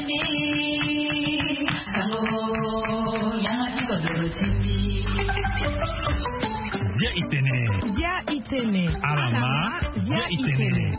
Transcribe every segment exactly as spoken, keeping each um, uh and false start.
Bia itene. Bia itene. Alama. Bia itene.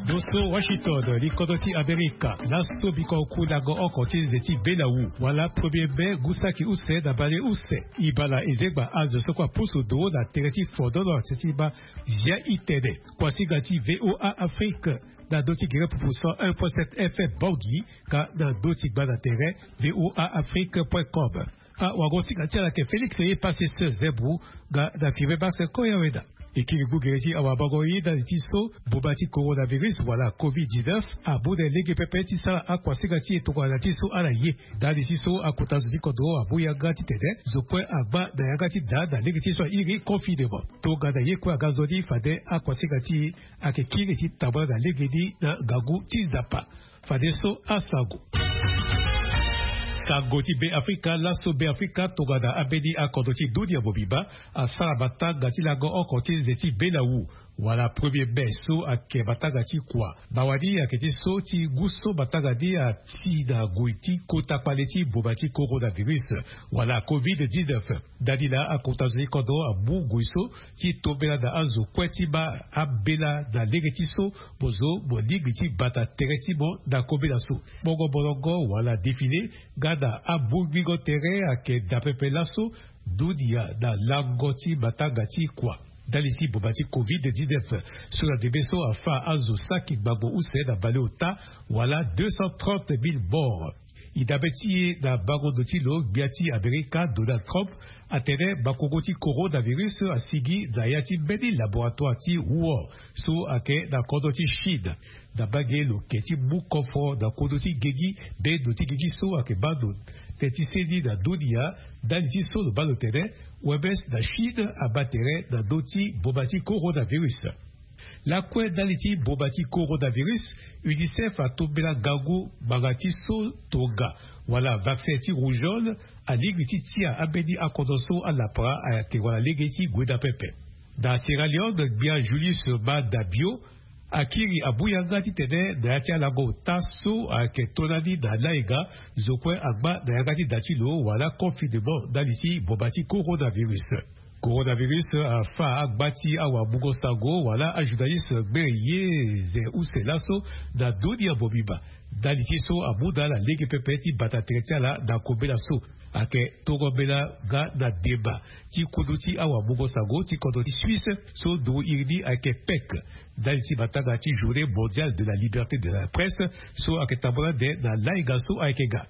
Doso Washington, likodo ti Amerika. Laso biko ku lango oko ti nze ti belawu wala premier mai, ngu saki use na bale use. Ibala ezegba azo soko apusu do na tere ti fodono ti ti ba. Bia itene. Kuasinga ti VOA Afrique. Na do ti gere pupu cent un point sept F M Bangui, ka na do ti gba na tere VOA Afrique point com. Awagosinga ti ala ke Félix ye pase se zebu. Nga na five baxe koya weda. Ekiri gbu gere ti awabango ye ndali ti so boma ti coronavirus wala covid dix-neuf amu na lege pepe ti sara akuasinga ti e tongana ti so ala ye. Ndali ti so akota zo ti kodro amu yanga titene zo kue agba na yanga ti daa na lege ti so airi confinement. Tongana ye kue aga nzoni fade akuasinga ti e ayeke kiri ti tambula na legeni na ngangu ti Nzapa. Fadeso asango. Sango ti Beafrika. Laso Beafrika tongana ambeni akodro ti dunia mobimba asara matanga ti lango oko ti nze ti belawu wala premier mai so ayeke matanga ti kua. Mawa ni ayeke ti so ti ngu so matanga ni ati na ngoi ti kota kpale ti boma ti coronavirus wala covid dix-neuf. Ndani na akota zo ti kodro amu ngoi so ti tombela na azo kue ti ma ambela na lege ti so mo zo mo lingbi ti bata tere ti mo na kobela so. Bongo molongo wala défilé nga na amu gbingo tere ayeke daa pepe laso dunia na lango ti matanga ti kua. Ndali ti boma ti covid dix-neuf so na ndembe so afa azo saki ngbangbo use na baleota wala deux cent trente mille morts. E dabe ti e na bango ndo ti lo, gbia ti Amerika Donald Trump atene makongo ti coronavirus asigi na ya ti mbeni laboratoire ti Wuhan so ayeke na kodro ti Chine. Na mbage lo ke ti mu kofo na kodro ti gegi, mbeni ndo ti gegi so ayeke baa ndo teti seni na dunia. Ndali ti so lo baa lo tene O M S na Chine abaa tere na ndö ti boma ti coronavirus. Lakue ndali ti boma ti coronavirus, UNICEF atombela ngangu ngbanga ti so tonga wala vaccin ti rougeole alingbi ti tia ambeni akodro so alapara ayeke wala lege ti gue daa pepe. Na Sierra Leone, gbia Julius Maada Bio akiri amu yanga titene na ya ti alango ota so ayeke to lani na lainga, zo kue agba na yanga ti da ti lo wala confinement ndali ti boma ti coronavirus. Coronavirus afa agba ti awamungo-sango wala ajournaliste gbere ye ze use laso na dunia mobimba. Ndali ti so amu na ala lege pepe ti bata tere ti ala na kobela so ayeke tongo mbela nga na deba ti kundu ti awamungo-sango ti kodro ti Suisse so nduru iri ni ayeke pek. Ndali ti matanga ti Journée mondiale de la liberté de la presse so ayeke tambula ande na lainga so ayeke ga.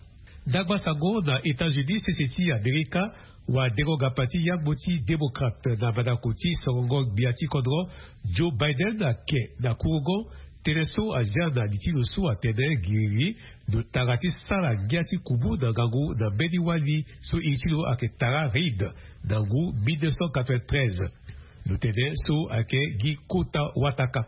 Ndangba sango na États-Unis, sese ti Amerika, wadengo-gapa ti yangbo ti démocrate na mandako ti sorongo gbia ti kodro Joe Biden ake na kurugo tënë so azia na li ti lo so atene giriri lo tara ti sara ngia ti kubu na ngangu na mbeni wali so iri ti lo ayeke Tara Reid na ngu mille neuf cent quatre-vingt-treize. Lo tene so ayeke gi kota wataka.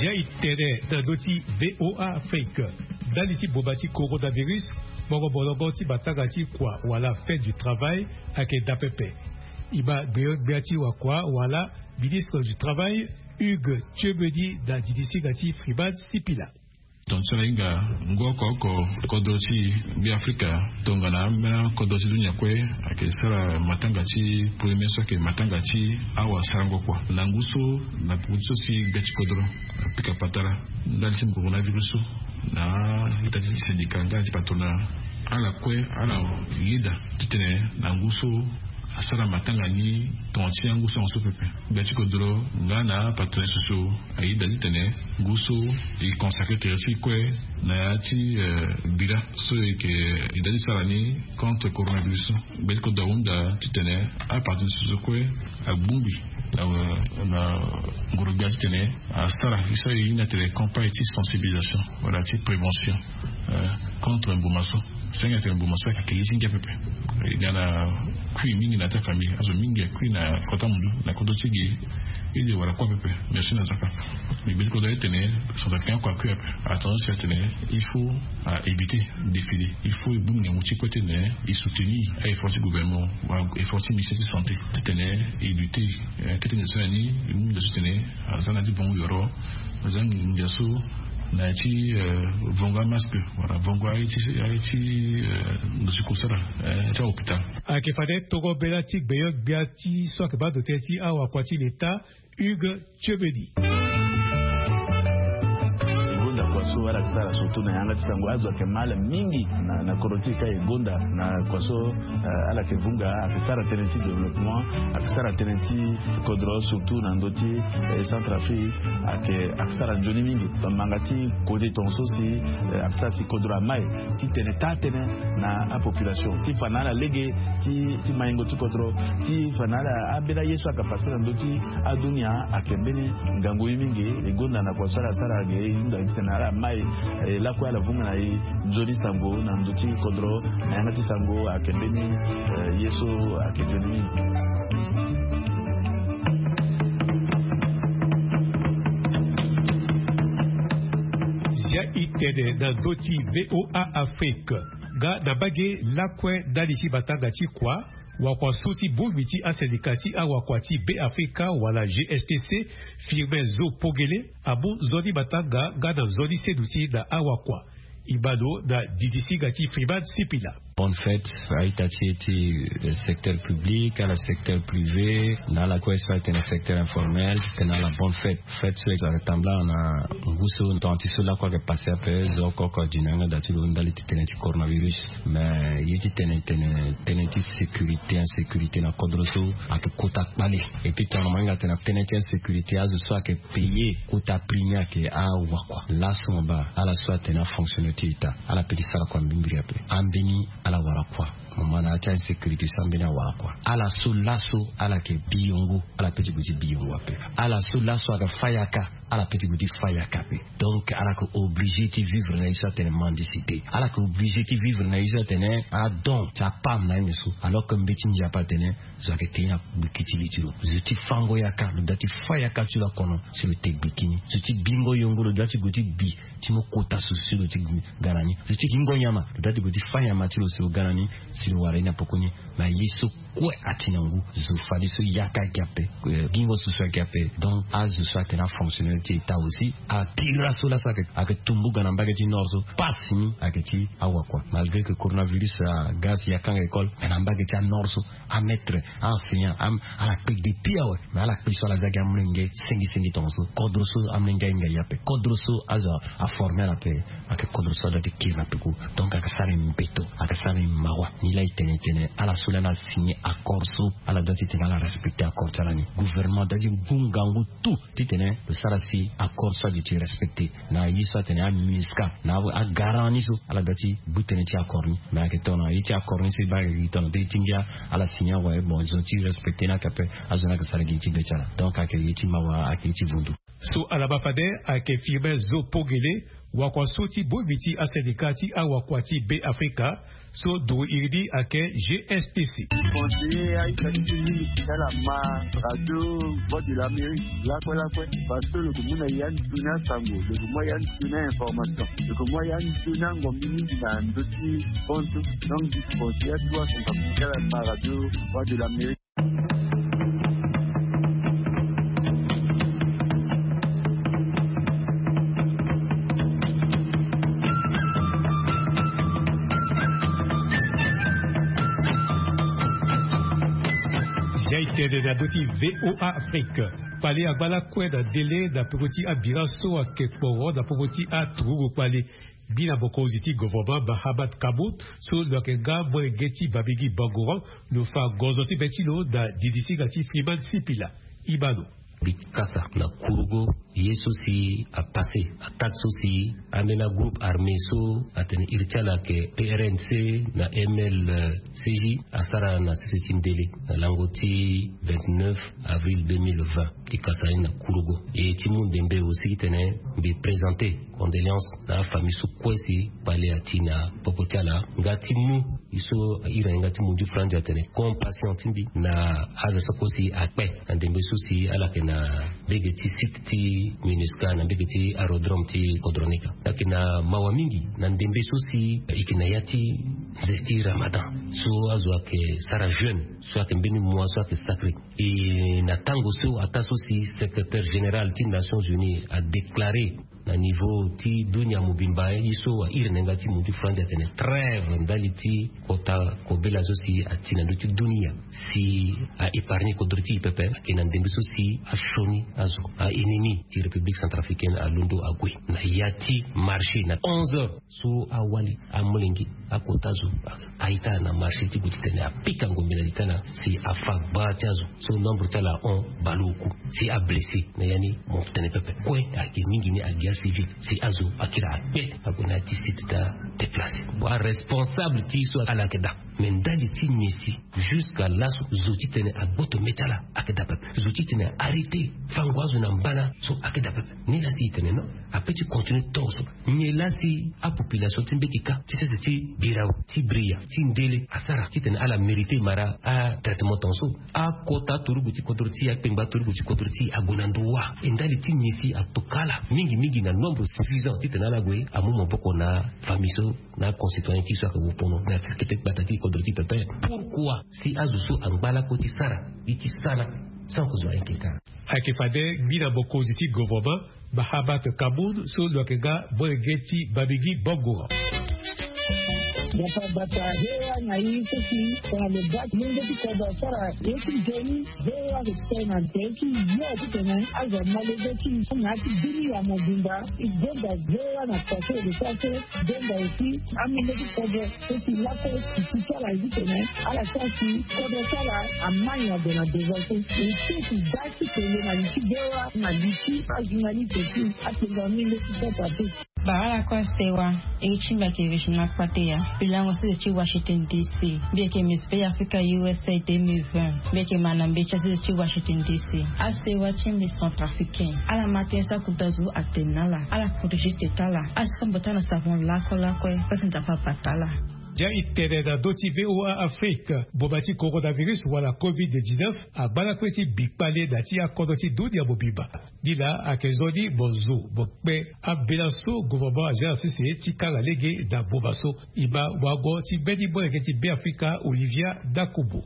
Zia e tene na ndö ti VOA Afrique. Ndali ti boma ti coronavirus, bongo molongo ti matanga ti kua wala fête du travail ayeke daa pepe. E ma gbeogbia ti wakua wala ministre du travail, Hugues Tchiemeni, na didisinga ti Freeman Sipila. Tonga ti ala hinga ngu oko oko kodro ti Beafrika tongana ambeni kodro ti dunia kue ayeke sara matanga ti premier mai so ayeke matanga ti awasarango kua na ngu so na popo ti so si gbia ti kodro apika patara ndali ti coronavirus so na ita ti syndicat nga ti patronat. Ala kue ala yeda titene na ngu so asara matanga ni tonga ti angu sango so pepe. Gbia ti kodro nga na patronat so so ayeda titene ngu so e consacre tere ti e kue na ya ti, eh, bira so e yeke yeda ti sara ni contre coronavirus so. Gbia ti kodro ahunda titene apartenant so so kue agbongbi na, na ngoro gbia titene asara so e hinga titene campagne ti sensibilisation wala ti prévention, eh, contre mbuma so. Senge titene mbuma so ayeke ye ti ngia pepe. E ga na Kui mingi na ya ti afamille azo mingi akui na kota mundu na kodro ti gi. Ede wara kua pepe. Merci na zaka. Mais beti kodro ayetene centrafricain akua kui ape. Attention si atene il faut a éviter défilé. Il faut ebunga ngu ti kue tene esoutenir a effort ti gouvernement wa effort ti ministère ti santé titene elutter. Kete nde so yani emunga so tene aza na ti vongo yoro. Aza nginza so na ya ti vongo amaske wala vongo aye ti aye ti ndo si kosara ti ahôpital. Ayeke fade toro bela ti gbeyo gbia ti so ayeke baa ndo tënë ti awakua ti leta. Hugues Tiobedi. Gonda kua so ala sara surtout na yanga ti sango azo ayeke mal mingi na kodro ti e ka e gonda na kua so ala yeke vunga ayeke sara tënë ti développement. Ayeke sara tënë ti kodro surtout na ndö ti centrafrique ayeke ayeke sara nzoni mingi. Bamanga ti kode tonga so si ayeke sara si kodro amai titene taa tënë na apopulation ti fa na ala lege ti maingo ti kodro ti fa na ala ambeni aye so ayeke fase na ndö ti adunia. Ayeke mbeni ngangu ye mingi. E gonda na kua so ala sara ge e hunda titene ala mai lakue ala vunga na e nzoni sango na ndö ti kodro na yanga ti sango ayeke mbeni ye so ayeke nzoni mingi. Zia itene na ndö ti VOA Afrique. Nga na mbage lakue ndali ti matanga ti kua wakua so ti bongbi ti asendika ti awakua ti Beafrika wala GSTC Firmin Zo Pogele amu nzoni matanga nga na nzoni seduti na awakua. Ibano na didisiga ti Freeman Sipila. Bonne fête. A-ita ti e ti secteur public ala secteur privé na ala kue so atene secteur informel tene ala bonne fête. Fête so ayeke tambula na ngu so tonga ti so lakue ayeke passe ape zo oko oko adino yanga da ti lo ndali ti tënë ti coronavirus. Mais ye ti tene tene tënë ti sécurité insécurité na kodro so ayeke kota kpale. Et puis tongana mo hinga tene tënë ti insécurité azo so ayeke payer kota prix ni ayeke awakua laso mo baa ala so atene afonctionner ti ita ala pe ti sara kua mbirimbiri ape. Ambeni ala wara kua. Mo ma na ya ti insécurité so ambeni awara kua ala so laso ala yeke bi yongo ala pe ti gue ti bi yongo ape. Ala so laso ayeke fa yaka ala pe ti gue ti fa yaka ape. Donc ala yeke obligé ti vivre na ye so atene mendicité. Ala yeke obligé ti vivre na ye so atene adon ti apam na ye nde so alors que mbeti ndia ape atene zo ayeke te ye na gbiki ti li ti lo. Zo ti fango yaka lo da ti fa yaka ti lo akono si lo te gbiki ni. Zo ti bingo yongo lo da ti gue ti gbi ti mo kota so si lo ti ga na ni. Zo ti gingo nyama lo da ti gue ti fa nyama ti lo si lo ga na ni si lo wara ye na poko ni. Mais ye so kue ati na ngu zo fadeso yaka ayeke ape. Gingo so so ayeke ape. Donc azo so atene afonctionnaire ti état aussi akiri laso laso ayeke tumbu ga na mbage ti nord so pasi ni ayeke ti awakua malgré que coronavirus aga si yakanga école. Mais na mbage ti anord so amaître aenseignant ala kpe depuis awe. Mais ala kpe so ala za gi amolenge sengi sengi tonga so kodro so amolenge ahinga ye ape kodro so azo aforme ala ape. Ayeke kodro so ada ti kiri na peko. Donc ayeke sara e mbeto ayeke sara e mawa. Ni laa e tene e tene ala so lani asigné accord so ala doit ti tene ala respecté accord ti ala ni. Gouvernement doit ti gu ngangu tout titene lo sara si accord so aduti respecté na ye so atene amusca na agarant ni so ala doit ti gu tënë ti accord ni. Mais ayeke tongana ye ti accord ni so e baa ayeke gi tongana te ye ti ngia ala signé awe bon zo ti respecté ni ayeke ape. Azo ni ayeke sara gi ye ti gbe ti ala. Donc ayeke ye ti mawa ayeke ye ti vundu. So ala baa fade ayeke Firmin Zo Pogele wakua so ti bongbi ti asendika ti awakua ti Beafrika so duru iri ni ayeke GSTC. Conseiller a-ita ti ti mingi ti ala ma radio Voix de l'Amérique lakue lakue. Parce que lo yeke mu na ya ni sioni asango lo yeke mu ya ni sioni ainformation lo yeke mu ya ni sioni angombi mingi na ndö ti konso. Donc disi conseiller atuwa centrafrique ti ala ma radio Voix de l'Amérique. Zia e tene na ndö ti VOA Afrique. Kpale angba lakue na ndele na peko ti abira so ayeke kporo na popo ti aturugu kpale. Mbi na mokonzi ti governement Mahamat Kamoun so lo yeke nga molenge ti Babigi Bangoran lo fa gonzo ti be ti lo na didisiga ti Freeman Sipila. Ibano. Mbi kasa na kurugo. Ye so si apasse attaque so si ambeni agroupe armé so atene iri ti ala ayeke prnc na mlcj asara na sese ti ndele na lango ti vingt-neuf avril deux mille vingt ti kasa ni na kurugo. E ti mu ndembe aussi titene mbi présenter condoléance na afamille so kue si kpale ati na popo ti ala nga ti mu e so airi na ni nga ti mundu franzi atene compassion ti mbi na azo so kue si akpe na ndembe so si ala yeke na mbege ti site ti minusca na mbege ti aérodrome ti kodro ni ka. Ayeke na mawa mingi na ndembe so si e yeke na ya ti nze ti ramadan so azo ayeke sara jeune so ayeke mbeni mois so ayeke sacré. E na tango so ataa so si secrétaire général ti nations unies adéclaré na niveau ti dunia mobimba ye so airi na yanga ti mundu franzi atene trêve ndali ti kota kobela so si ati na ndö ti dunia si a épargner kodro ti e pepe ayeke na ndembe so si asioni azo a ennemi ti république centrafricaine alondo ague na ya ti marché na onze heures so awali amolenge akota zo aita na marché ti gue titene apika ngombe na litala si afa gbaa ti azo so nombre ti ala ahon baleoku si ablessé na ya ni mo tene pepe kue ayeke mingi ni agia civil si azo akira akpe ague na ya ti site ti adéplacé. Aresponsable ti so ala yeke daa me ndali ti nyen si jusqu'à laso zo titene agboto me ti ala ayeke daa pepe zo titene arrêté fango azo na mbana so ayeke daa pepe. Ni laa si e tene non ape ti continuer tongo so nyen laa si apopulation ti mbeti ka ti sese ti birao ti bria ti ndele asara titene ala mérité mara atraitement tongo so akota aturugu ti kodro ti akpengba aturugu ti kodro ti ague na ndo wa e ndali ti nyen si atoka ala mingi mingi na nombre suffisant titene ala gue amu maboko na famille so na aconcitoyen ti so ayeke wu pono na ti kete gbata ti kodro ti pepe. Pourquoi si azo so angba lakue ti sara gi ti sala sans que zo ayeke ka? Ayeke fade ngbina mokonzi ti gouvernement Mahamat Kamoun so lo yeke nga molenge ti Bamingui Bangoura. Bata bata hewa na ye so si tongana lo baa ti lenge ti kodro asara ye ti nzoni. Hewa ayeke tene na nze ti yo titene azo amolenge ti na ya ti dunia mobimba. E gonda hewa na poto e lo sara so. Donga aussi amolenge ti kodro so si lakue e si ti ala ye titene ala sara si kodro ti ala amai na gue na devant so. E si e si da ti tele na li ti hewa na li ti ajournaliste ti apenga amolenge ti kodro ape. Bara lakue asewa. Iri ti mbi ayeke Regina Kpateya. Mbi lango sese ti Washington D C. Mbi yeke Miss Bay Africa U S A deux mille vingt. Mbi yeke ma na mbeti asese ti Washington D C. Asewa ti mbi centrafricain ala ma tënë so akota zo atene na ala ala protégé tete ti ala. Asombo ti ala na savon lakue lakue so si Nzapa abata ala. Ndia e tene na ndö ti V O A Afrique. Mboma ti coronavirus wala covid dix-neuf agba lakue ti bi kpale na ti akodro ti dunia mobimba. Ni laa ayeke nzoni mo zo mo kpe ambela so gouvernement azia na sese ti kanga lege na boma so. E ma wango ti mbeni molenge ti Beafrika Olivia Dakubu.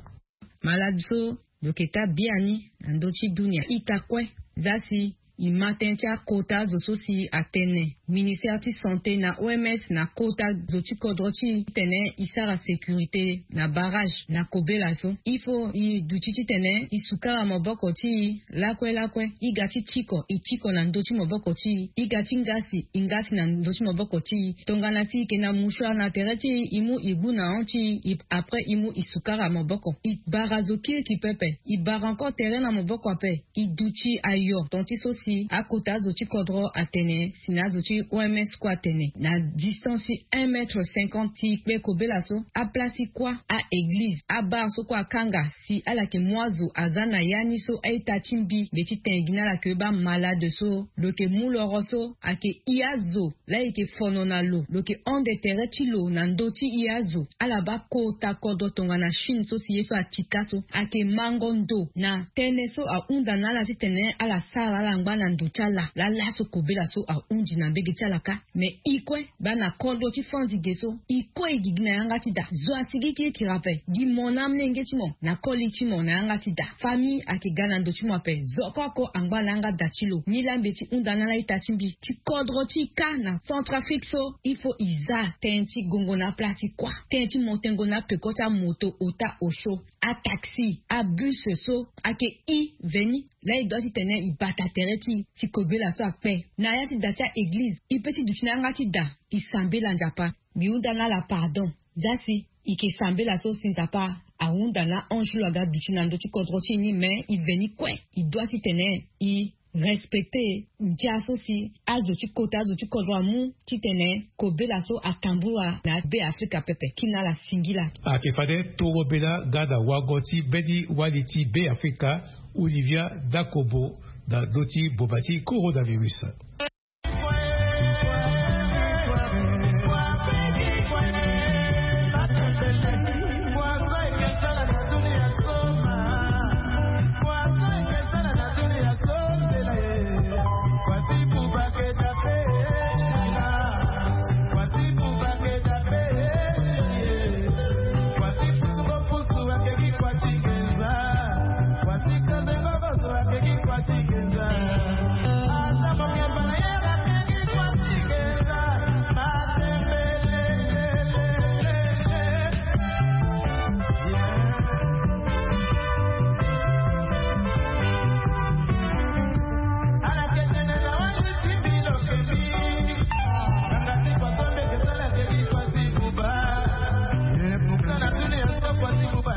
Malade so lo yeke taa biani na ndö ti dunia ita kue. Za si e ma tënë ti akota zo so si atene ministère ti santé na O M S na kota zo ti kodro ti e titene e sara sécurité na barrage na kobela so. Il faut e duti titene e sukara maboko ti e lakue lakue. E ga ti tiko e tiko na ndö ti maboko ti e. E ga ti ngasi e ngasi na ndö ti maboko ti e. Tongana si e yeke na mouchoir na tere ti e e mu e gbu na hon ti e après e mu e sukara maboko. E bara zo kirikiri pepe. E bara encore tere na maboko ape. E duti ayo ton ti so si akota azo ti kodro atene si na azo ti O M S kue atene na distance ti un mètre cinquante ti kpe kobela so. Aplace ti kuâ, a-église, abar so kue akanga si ala yeke mu azo aza na ya ni so a-ita ti mbi mbi ti tene gi na ala yeke baa malade so lo yeke mu loro so ayeke i azo. Laa e yeke fono na lo lo yeke hon de tere ti lo na ndö ti i azo. Ala baa kota kodro tongana Chine so si ye so atika so ayeke mango ndo na tënë so ahunda na ala titene ala sara ala ngba na ndo ti ala. Laa laso kobela so ahundi na mbege ti ala kâ. Me e kue baa na kodro ti fandi ge so e kue e gigi na yanga ti da. Zo asigi kirikiri ape. Gi mo na amolenge ti mo na koli ti mo na yanga ti da. Famille ayeke ga na ndo ti mo ape. Zo oko oko angba na yanga da ti lo. Nilaa mbi ye ti hunda na ala ita ti mbi ti kodro ti e kâ na Centrafrique so. Il faut e za tënë ti gongo na aplace ti kuâ. Tënë ti mo tengo na apeko ti amoto ota osio, ataxi, abus so ayeke e veni. Laa e doit titene e bata tere ti e ti kobela so akpe. Na ya ti da ti a-église e pe ti duti na yanga ti da e sambela Nzapa. Mbi hunda na ala pardon. Za si e yeke sambela so si Nzapa ahunda na ange lo aga duti na ndö ti kodro ti e ni me e veni kue. E doit titene e Respecte ndia so si azo ti kota azo ti kodro amu titene kobela so atambula na be afrika pepe kina ala singila. Ayeke fade toro bela ga na wango ti mbeni wali ti be afrika, olivia dakobo, na ndö ti boma ti coronavirus.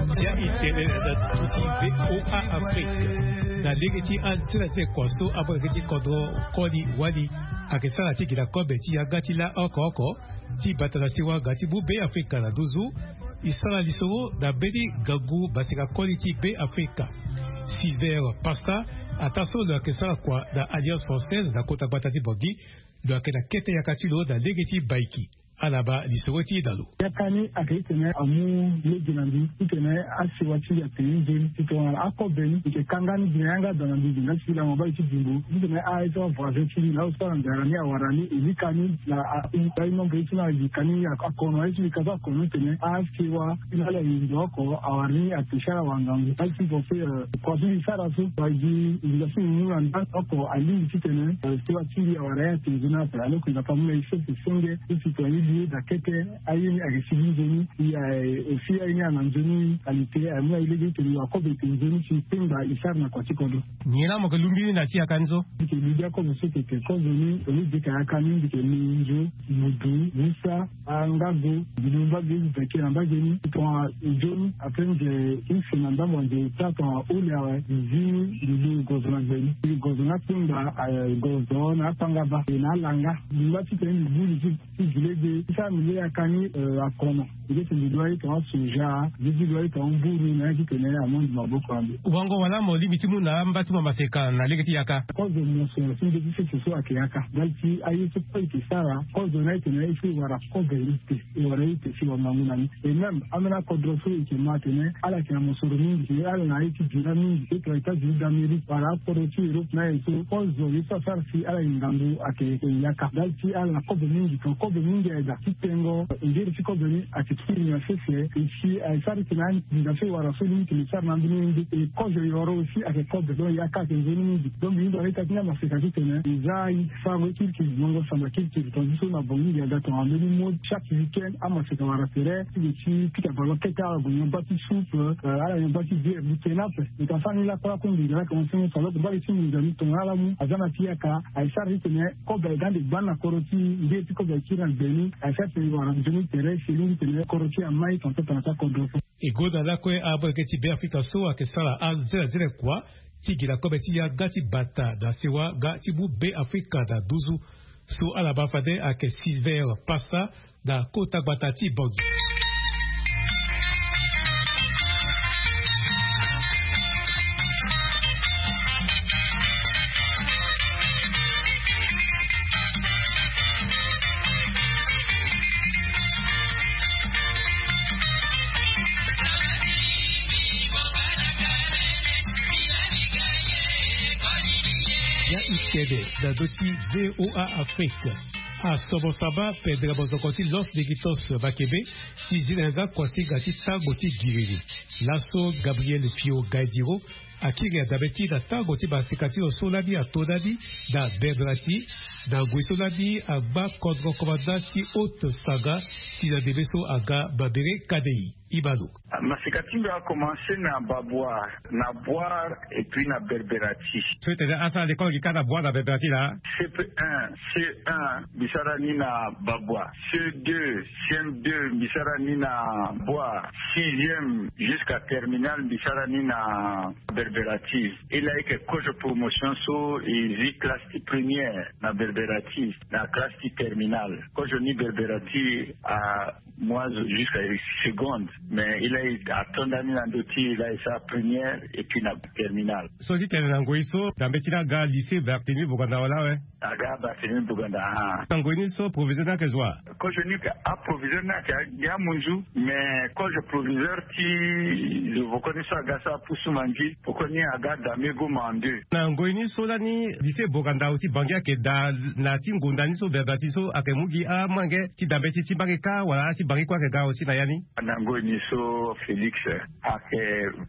Ndia itene na duti voa afrique. Na lege ti anzela ti kua so amu lege ti kodro koli wali ayeke sara ti gi na kobe ti yanga ti la oko oko ti bata na siwa ga ti mu be afrika na nduzu. E sara lisoro na mbeni ngangu maseka koli ti be afrika. Silver pasta, ataa so lo yeke sara kua na alliance française na kota gbata ti bongi, lo yeke na kete yaka ti lo na lege ti baiki. Ala baa lisoro ti e na lo. Yaka ni ayeke titene amu lege na mbi titene asiwa ti mbi atene nzoni titene akobe ni mbi yeke kanga ni gi na yanga daa na mbi gi na ti lango baa ye ti bimbo titene aye so avoisin ti mbi na azo so ala nzara ni awara ni e lika ni na a- aye nombre ye ti ni alika ni akono aye ti mbi ka so akono ni tene asiwa ti na ala ye ndo oko awara ni ate si ala wara ngangu aye ti mbi pense kua so mbi sara so wala gi nginza so mbi mu na nda oko alingbi titene siwa ti mbi awara ye ate nzoni ape alors que nzapa amu na ye sese senge ti citoyen ti mbi ye daa kete. Aye ni ayeke sigi nzoni. Aussi aye ni ana nzoni qualité aye mu na ye lege tene yo akobe ete nzoni si kpengba e sara na kua ti kodro. Nyen laa mo yeke lungbi ni na ti yaka ni so? Mbi yeke lungbi akobe so tete kozo ni au lieu de yeke yaka ni mbi yeke lu nzo mudu musa angago mbi lu mbage mbi beke na mbage ni tongana nzoni après nze use na ndambo anze taa tongana ole awe mbi zi mbi lu gozo na gbe ni mbi gozo na akpengba gozo na akpangaba e na alanga mbi ngba titene mbi bulu ti ti gi lege ti sara mbi le yaka ni akono. Mbi leke mbi dua ye tongana soja mbi ti dua ye tongana mburu na ya titene amondi maboko na mbi. Wango wala mo lingbi ti mu na amba ti mo maseka na lege ti yaka? Kozo mo so na ti nde ti sese so ayeke yaka ndali ti aye so kue e yeke sara kozo ni ayeke na ye so e wara kozo ye te. E wara ye te si wangangu na ni. Et même ambeni akodro so e yeke ma atene ala yeke na mosoro mingi si ala na ye ti dira mingi si tongana états-unis d'amérique wala akodro ti europe na ye so kozo ye so asara si ala ye ngangu ayeke yaka ndali ti ala na kozo mingi tongana kozo mingi aye daa ti tengo ngeri ti kozo ni ayeke kiri na sese. E si aye sara ti tene anginza so e wara so ni tene e sara na ambeni ye nde e kozo e wara aussi ayeke kozo donc yaka ayeke nzoni mingi. Donc mbi hunda na ita ti ni amaseka titene e za aye sarango ye kirikiri ngongo samba kirikiri tonga ti so na bongi mbi aga tongana mbeni mo chaque weekend amaseka wara tere ti ge ti pika ballon kete ala gue nyamba ti soupe ala nyamba ti bière mbi tene ape. Mbi ka sara ni lakue lakue nginza laa commence mo saloke mbage ti nginza ni tongana ala mu aza na ti yaka aye sara ti tene kobe aye ga ande gbani na kodro ti e nde ti kobe aye kiri na gbe ni aye sara ti tene e wara nzoni tere si e lingbi tene kodro ti e amai tongana so tongana so akodro. E gonda lakue abongeke ti be afrika so ayeke sara anzelanzela kua ti gi na kobe ti yanga ti bata na sewa nga ti mu be afrika na nduzu. So ala baa fade ayeke silver pasta na kota gbata ti bangi. Ya itene na ndö ti voa afrique. Asomo saba pendere mozoko ti los digitos makebe ti zi na yanga kuasinga ti tango ti giriri. Laso gabriel pio gaidiro akiri adabe ti na tango ti basika ti lo so lani ato lani na bernati na ngoi so lani agba kodro komanda ti haute saga. Ti na debe so aga babere kadei. Ibalo. Masika ti mbi akomanse na babwa, na bwar, et puis na berberati. So itene asara lekole gi kâ na bwar na berberati laa. C P un, C un mbi sara ni na babwa, C deux, C M deux mbi sara ni na bwar, sixième jusqu'à terminale mbi sara ni na berberati. E laa eke kozo promotion so e zi classe ti première na berberati, na classe ti terminale kozo ni berberati. A moi jusqu'à seconde, mais e laa e atonda ni na ndö ti e laa e sara première et puis na terminale. So ti tene na ngoi so dambe ti laa aga lycée Barthélemy Boganda wala awe? Aga Barthélemy Boganda. Na ngoi ni so proviseur ni ayeke zo wa? Kozo ni ayeke aproviseur ni ayeke gi amunzu, mais kozo proviseur ti zo voko ni so aga sara pusu mangi. Poko ni aga dambe goma en deux. Na ngoi ni so lani lycée Boganda aussi Bangui ayeke daa na ti ngonda ni so berberati so ayeke mu gi amolenge ti dambe ti ti mbage kâ wala ti Bangui kue ayeke ga aussi na ya ni? Na ngoi ni so Félix, ayeke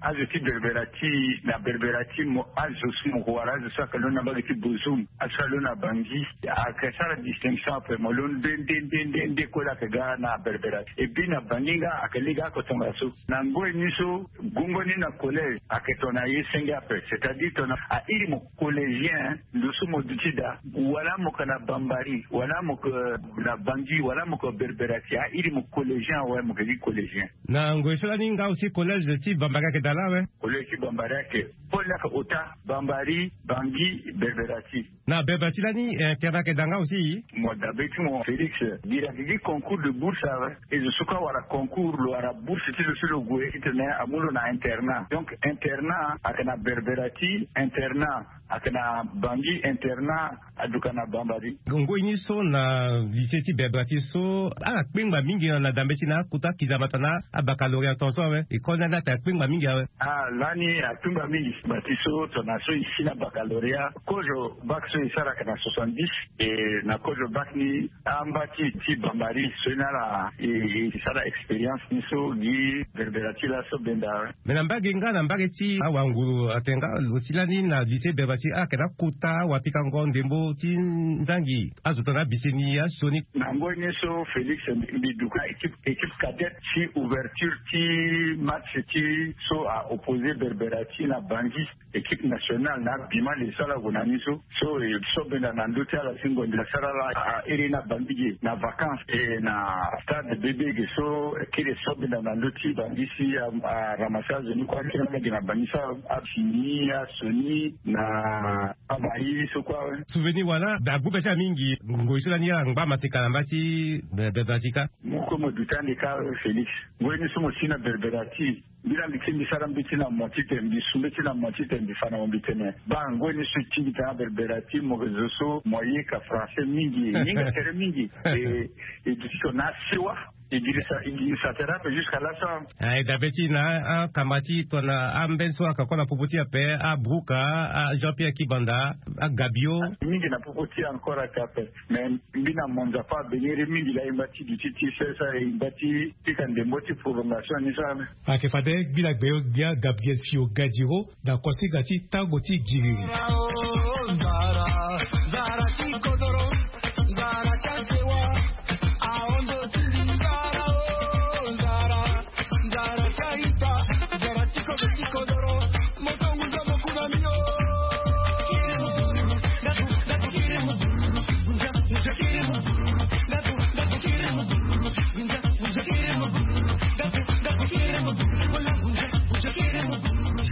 azo ti berberati, na berberati mo azo so mo ko wara azo so ayeke londo na mbage ti Bozoum, azo so alondo na Bangui, ayeke sara distinction ape, mo londo nde nde nde nde nde kue laa ayeke ga na berberati. Et puis na Bangui nga ayeke lege oko tongaso. Na ngoi ni so gongo ni na collège ayeke tongana ye senge ape, c'est-à-dire tongana a iri mo collégien, ndo so mo duti daa, wala mo yeke na Bambari, wala mo yeke na Bangui, wala mo yeke berberati, a iri mo collégien awe, mo yeke gi collégien. Na ngoi so lani nga aussi collège ti Bambari ayeke daa laa awe? Collège ti Bambari ayeke, pole ni ayeke ota, Bambari, Bangui, berberati. Na berberati lani internat ayeke daa nga aussi? Mo dabe ti mo Félix, bira gi concours de bourse awe. E zo so kue awara concours, lo wara bourse ti lo si lo gue titene amu lo na internat. Donc internat ayeke na berberati, internat ayeke na Bangui, internat aduka na Bambari. Ngoi ni so na lycée ti berberati so ala kpengba mingi na dambe ti na akota kizama tongana abaccalauréat tongaso awe? École ni lani ape akpengba mingi awe? Ah, lani akpengba mingi. Bati so tongana so e si na baccalauréat, kozo bac so e sara ayeke na soixante-dix. E na kozo bac ni amba ti ti Bambari so ni ala e e sara expérience ni so gi berberati laso benda. Mais na mbage nga na mbage ti awanguru atene nga lo si lani na lycée berberati ayeke na akota wapikango ndembo ti nzangi azo tongana abiseni asioni. Na ngoi ni so Félix, mbi duka équipe équipe cadette ti ouverture ti match ti so a opposé berberati na Bangui. Équipe nationale na abima le so ala gue na ni so. So e so benda na ndö ti ala si ngonda asara ala a iri na Bangui ge na vacances e na stade bébé ge so kiri so benda na ndö ti Bangui si a ramassé azo ni kue akiri na ge na Bangui so abimi asioni na amaï so kue awe. Souvenir wala agbu be ti ala mingi ngoi so lani ala ngba maseka na mba ti Bangui kâ. Mo kue mo duti ande kâ Félix. Ngoi ni so mo si na berberati. Mbi laa mbi kiri mbi sara mbeti na mo titene mbi su mbeti na mo titene mbi fa na mo mbi tene baa ngoi ni so e tingbi tena berberati mo yeke zo so mo yeka français mingi e hinga tere mingi. E e duti tongana asiwa e girisa e girisa tere ape jusqu'à laso. Ah, e dabe ti na akamba ti tongana amben so ayeke encore na popo ti e ape, abruka, a Jean Pierre Kibanda, agabio. Mingi na popo ti e encore ayeke ape. Mais mbi na mo nzapa abeniri mingi laa e ngba ti duti ti sesa e ngba ti pika ndembo ti prolongation ni so ame. Ayeke fade gbila gbeyo gbia Gabriel Fio Gadiro na kuasinga ti tango ti giriri.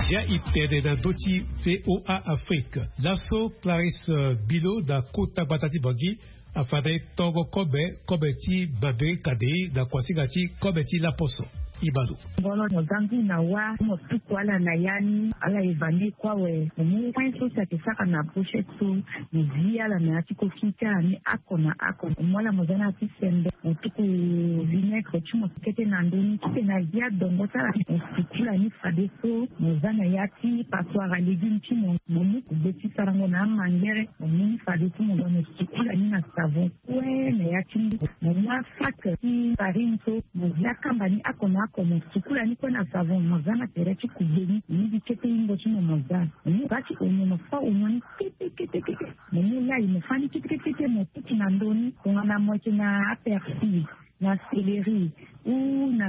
Ya e tene na ndö ti V O A Afrique. Laso Clarisse Bilo na kota gbata ti Bangui afa na e tongo kobe kobe ti baberi kadei na kuasinga ti kobe ti laposo. Ibalo. Ngolo mo za ngu na wa mo tuku ala na ya ni ala e vandi kue awe. Mo mu win so si ayeke sara na brochette so mo zi ala na ya ti koki ti ala ni oko na oko. Mo mu ala mo za na ya ti sembe mo tuku vinaigre ti mo kete na ndö ni titene azi adongo ti ala mo sukula ni fadeso mo za na ya ti passoire à légume ti mo. Mo mu kugbe ti sarango na amangere mo mu ni fadeso mo ga mo sukula ni na savon. Kue na ya ti ngu mo mu asac ti farine so mo zi akamba ni oko na oko mo sukula ni kue na savon mo za na tere ti kugbe ni mo mu gi kete hingo ti mo mo za. Mo mu ba ti onio mo fa onio ni kete kete kete mo mu lai mo fa ni kete kete kete mo tutu na ndö ni tongana mo yeke na apersil. na céleri ou na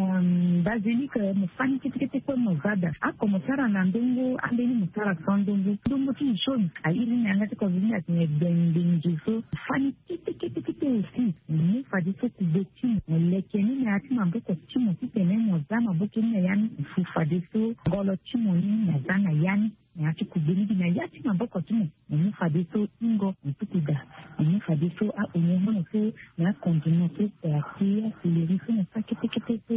basilique, mo fani ketekete kue mo za daa. Ako mo sara na ndongo ambeni mo sara sans ndongo ndongo ti mo chaune airi na yanga ti covid ni atene gbengbengi so fani ketekete aussi. Mo mu fadeso kube ti mo mo leke ni na ya ti maboko ti mo titene mo za maboko ni na ya ni mo fu fadeso ngolo ti mo ni mo za na ya ni. Na ya ti kube ni gi na ya ti maboko ti mo mo mu fadeso ingo mo tuku daa. Mo mu fadeso aoignon mo so na akondima so parti aseleri so mo sa ketekete so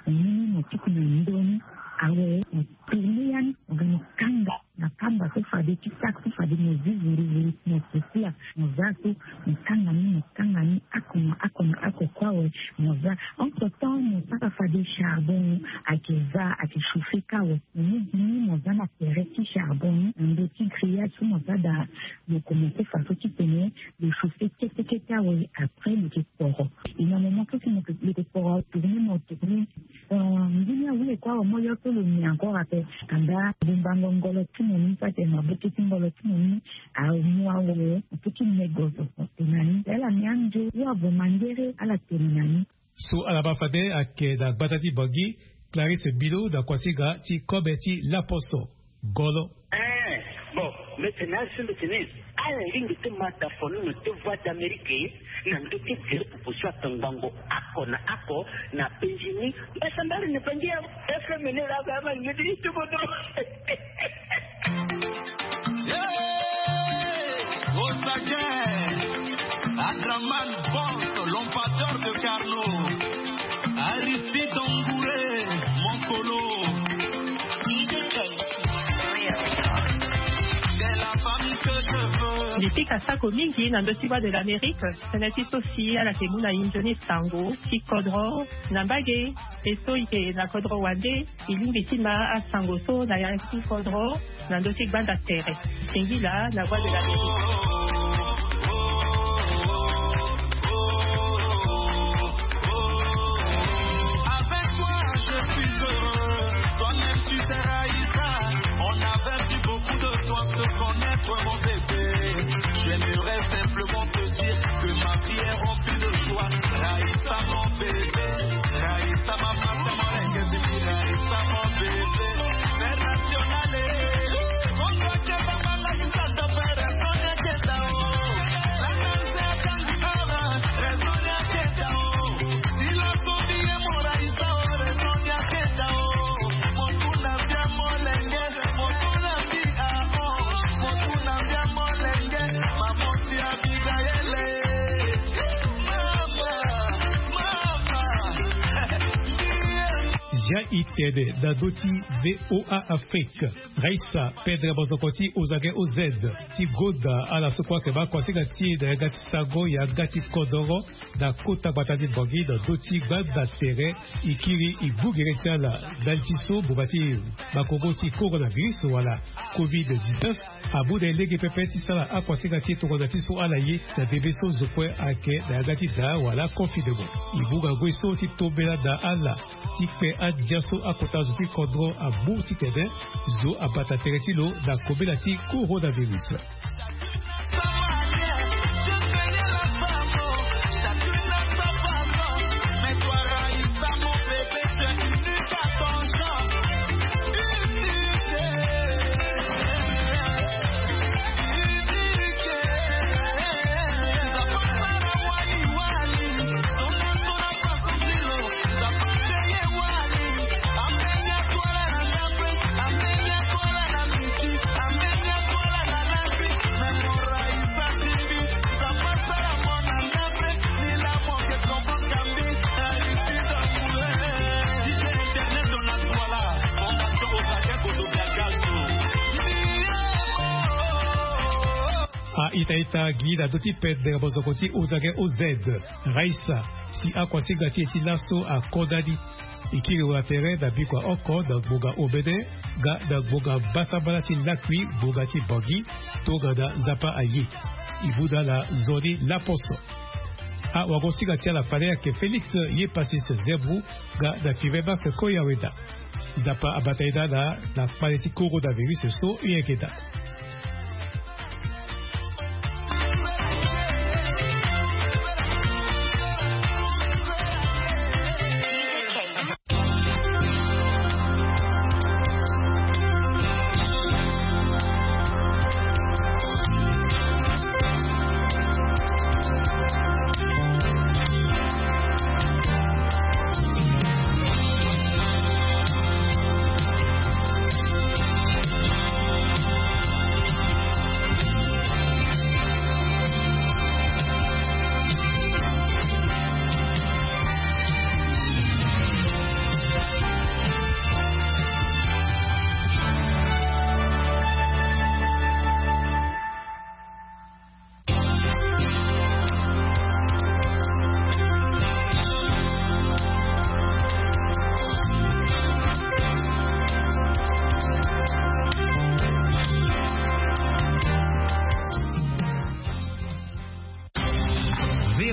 mo mu ni mo tuku na ndo ni. Awe mo tourne ya ni mo ga mo kanga na kamba so fade ti saki so fade mo zi vuruvuru mo sosila mo za so mo kanga ni mo kanga ni ako na ako na ako kue awe. Mo za entre temps mo sara fade charbon ayeke za ayeke chauffe kâ awe. Mo mu gi ni mo za na tere ti charbon ni na ndö ti grillage so mo za daa. Lo commence façon titene lo chauffe ketekete awe après lo yeke kporo. E na moment so si lo yeke kporo atourne mo tourne. Nzoni awe kue awe mo yo so lo ni encore ape. Anda bumbango ngolo ti mo ni so atene maboke ti ngolo ti mo ni amu awe ape ti me gozo. Tene na ni ala ni anzo ou avo mangere ala tene na ni. So ala baa fade ayeke na gbata ti bangi. Clarisse bilo na kuasinga ti kobe ti laposo. Golo. Ee. Bon, mete na azo mete ni ala lingbi ti ma dafoni na te voie d'amérique na ndö ti gere popo so atangbango ako na ako na penzi ni. Mbasambari na bangi ya fm ni laa ba ma lingbi ti ti bodo. Adraman Boss, l'empatteur de Carnot. Aristide Angouré, mon colo. Mbi pika sako mingi na ndö ti voie de l'amérique. Tënë ti so si ala yeke mu na inzo ni sango ti kodro na mbage. E so e yeke na kodro wande. E lingbi ti ma asango so na ya ti kodro na ndö ti gbanda tere. Singila na voie de l'amérique. Avec toi je suis heureux. Toi-même tu sais, Raïssa, on a perdu beaucoup de temps de connaître, mon bébé. J'aimerais simplement te dire que ma vie est remplie de joie. Raïssa, mon bébé. Raïssa, ma maman, mon lenge, Raïssa, mon bébé. International. Zia i tene na ndö ti VOA Afrique. Raissa, pedre bozoko ti ozage oz ti goda ala so kue ayeke baa kuasinga ti e na yanga ti sango yanga ti kodoro na kota gbata ti Bangui na ndö ti gbanda tere. E kiri e gbu gere ti ala ndali ti so ngbonga ti bakongo ti coronavirus wala covid dix-neuf amu na e lege pepe ti sara akuasinga ti e tongana ti so ala ye na ndembe so zo kue ayeke na yanga ti daa wala confinement. E mu ngangu ye so ti tombela na ala ti kpe andia so akota zo ti kodro amu titene zo abata tere ti lo na kobela ti coronavirus. A ita ita gi na ndö ti pede bozoko ti ozage oz. Raissa si akuasinga ti e ti laso akondani. E kiri wala tere na bikua oko na ngbonga omene nga na ngbonga mbasambala ti lakui ngbonga ti Bangui. Tongana Nzapa aye e mu na ala nzoni laposo. Awagosinga ti ala fade ayeke Félix Yepasis Zebou nga na Five Max Koyaweda. Nzapa abata e na ala na kpale ti coronavirus so e yeke daa.